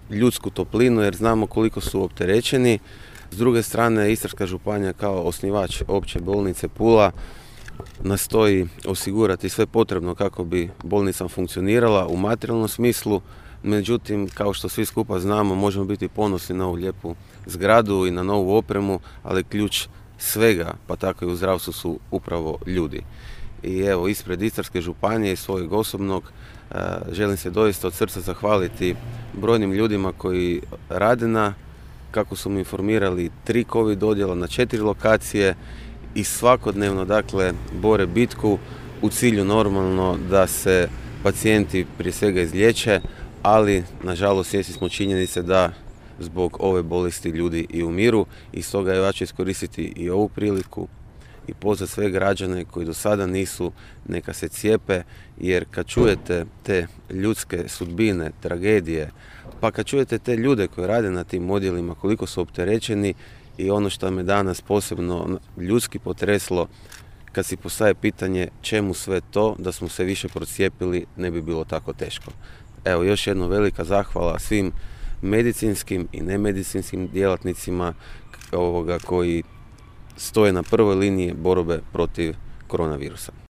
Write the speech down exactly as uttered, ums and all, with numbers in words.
ljudsku toplinu jer znamo koliko su opterećeni. S druge strane, Istarska županija kao osnivač opće bolnice Pula nastoji osigurati sve potrebno kako bi bolnica funkcionirala u materijalnom smislu. Međutim, kao što svi skupa znamo, možemo biti ponosni na ovu lijepu zgradu i na novu opremu, ali ključ svega, pa tako i u zdravstvu, su upravo ljudi. I evo, ispred Istarske županije i svojeg osobnog želim se doista od srca zahvaliti brojnim ljudima koji rade na, kako su mi informirali, tri covid odjela na četiri lokacije i svakodnevno, dakle, bore bitku u cilju normalno da se pacijenti prije svega izliječe, ali nažalost svjesni smo činjenice da zbog ove bolesti ljudi i umiru i stoga ja ću iskoristiti i ovu priliku i pozvati sve građane koji do sada nisu, neka se cijepe, jer kad čujete te ljudske sudbine, tragedije, pa kad čujete te ljude koji rade na tim odjelima, koliko su opterećeni, i ono što me danas posebno ljudski potreslo, kad si postaje pitanje čemu sve to, da smo se više procijepili, ne bi bilo tako teško. Evo, još jedno velika zahvala svim medicinskim i nemedicinskim djelatnicima ovoga koji stoje na prvoj liniji borbe protiv koronavirusa.